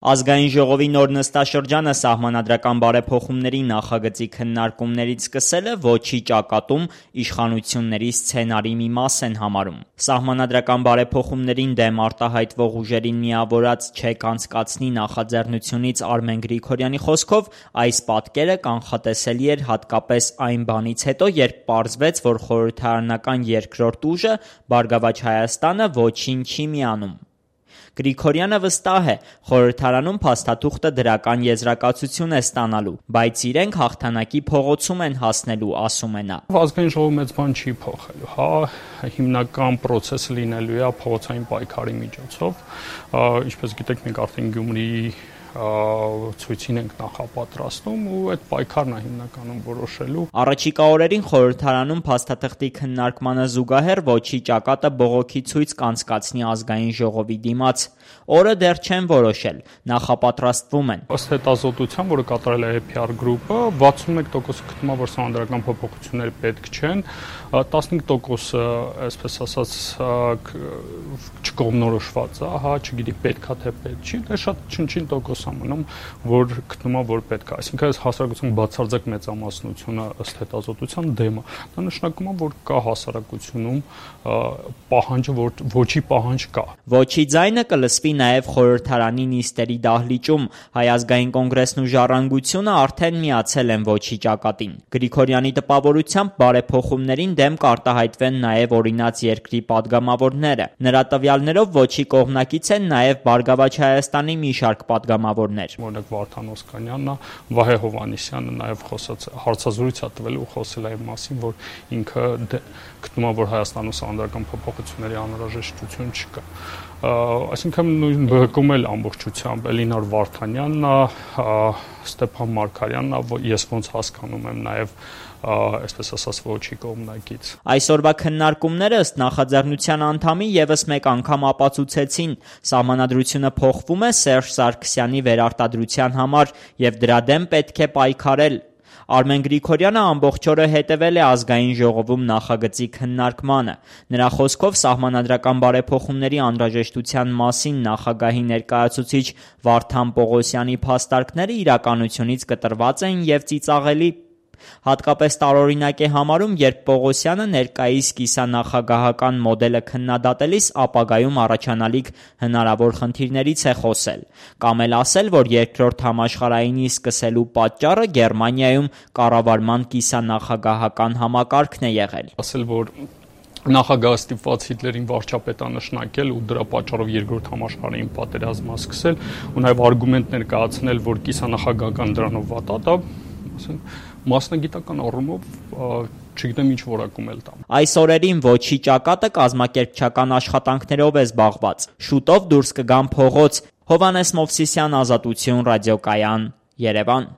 Ազգային ժողովի նոր նստաշրջանը սահմանադրական բարեփոխումների նախագծի քննարկումներից սկսելը ոչի ճակատում իշխանությունների սցենարի մի մաս են համարում։ Սահմանադրական բարեփոխումներին դեմ արտահայտվող ուժերին միավորած չեք անցկացնի նախաձեռնությունից Արմեն Գրիգորյանի խոսքով այս պատկերը կանխատեսելի էր հատկապես այն բանից հետո, երբ պարզվեց, որ խորհրդարանական երկրորդ ուժը Բարգավաճ Հայաստանը ոչինչ չի միանում։ Գրիգորյանը վստահ է, խորհրդարանում փաստաթուղթը դրական եզրակացություն է ստանալու, բայց իրենք հաղթանակի փողոցում են հասնելու, ասում է նա։ Ազգային ժողովը մեծ բան չի փոխելու, հիմնական process-ը լինելու է փողոցային պայքարի միջոցով, ինչպես գիտեք, մենք արդեն Գյումրիի ցույցին ենք նախապատրաստում ու այդ պայքարն է հիմնականում որոշելու։ Առաջիկա օրերին խորհրդարանում փաստաթղթի քննարկմանը զուգահեռ ոչի ճակատը բողոքի ցույց կանցկացնի ազգային ժողովի դիմաց։ Օրը դեռ չեն որոշել, նախապատրաստվում են։ Ըստ հետազոտության, որը կատարել է APR գրուպը, 61% գտնում է, որ սահմանադրական փոփոխություններ պետք չեն, 15%-ը, այսպես ասած, չկողմնորոշված է, չգիտի պետք է թե պետք չի, դե շատ չնչին տոկոս ամնում, որ գտնում է, որ պետք է։ Այսինքն այս հասարակության բացարձակ մեծամասնությունը ըստ հետազոտության դեմ է։ Դա նշանակում է, որ կա հասարակությունում պահանջը, որ ոչի պահանջ կա։ Ոչի ձայնը կլսվի նաև խորհրդարանի նիստերի դահլիճում։ Հայ ազգային կոնգրեսն ու Ժառանգությունը արդեն միացել են ոչի ճակատին։ Գրիգորյանի տպավորությամբ բարեփոխումներին դեմ կարտահայտվեն նաև օրինաց երկրի падգամավորները։ Նրա տվյալներով ոչի կողմնակից են նաև Բարգավաճ Հայաստանի մի շարք падգամավորներ։ Օրինակ Վարդան Օսկանյանն, Վահե Հովհաննիսյանը նաև հարցազրույց է տվել ու խոսել է այն մասին, որ ինքը գտնում է, որ Հայաստանում սահմանադրական փոփոխությունների անհրաժեշտություն չկա։ Այսինքն նույն բակում էլ ամբողջությամբ Էլինար Վարդանյանն է, Ստեփան Մարգարյանն է, ես ոնց հասկանում եմ նաև այսպես ասած ոչի կողմնակից։ Այսօրվա քննարկումները ըստ նախաձեռնության անդամի եւս մեկ անգամ ապացուցեցին, սահմանադրությունը փոխվում է Սերժ Սարգսյանի վերարտադրության համար եւ դրա դեմ պետք է պայքարել։ Արմեն Գրիգորյանը ամբողջ օրը հետևել է ազգային ժողովում նախագծի քննարկմանը։ Նրա խոսքով սահմանադրական բարեփոխումների անհրաժեշտության մասին նախագահի ներկայացուցիչ Վարդան Պողոսյանի փաստարկները իրականությունից կտրված են եւ ծիծաղելի։ Հատկապես տարօրինակ է համարում, երբ Պողոսյանը ներկայիս կիսանախագահական մոդելը քննադատելիս ապագայում առաջանալիք հնարավոր խնդիրներից է խոսել, կամ էլ ասել, որ երկրորդ համաշխարհայինի սկսելու պատճառը Գերմանիայում կառավարման կիսանախագահական համակարգն է եղել։ Ասել, որ նախագահը ստիպված Հիտլերին վարչապետանշնակել ու դրա պատճառով երկրորդ համաշխարհային պատերազմը սկսել ու նաև արգումենտ ներկայացնել, որ կիսանախագահական դրանով վատ է, դա ասենք մասնագիտական առումով չգիտեմ ինչ որակում էլ տամ։ Այս օրերին ոչի ճակատը կազմակերպչական աշխատանքներով է զբաղված։ Շուտով դուրս կգան փողոց։ Հովհաննես Մովսիսյան, Ազատություն, ռադիոկայան, Երևան։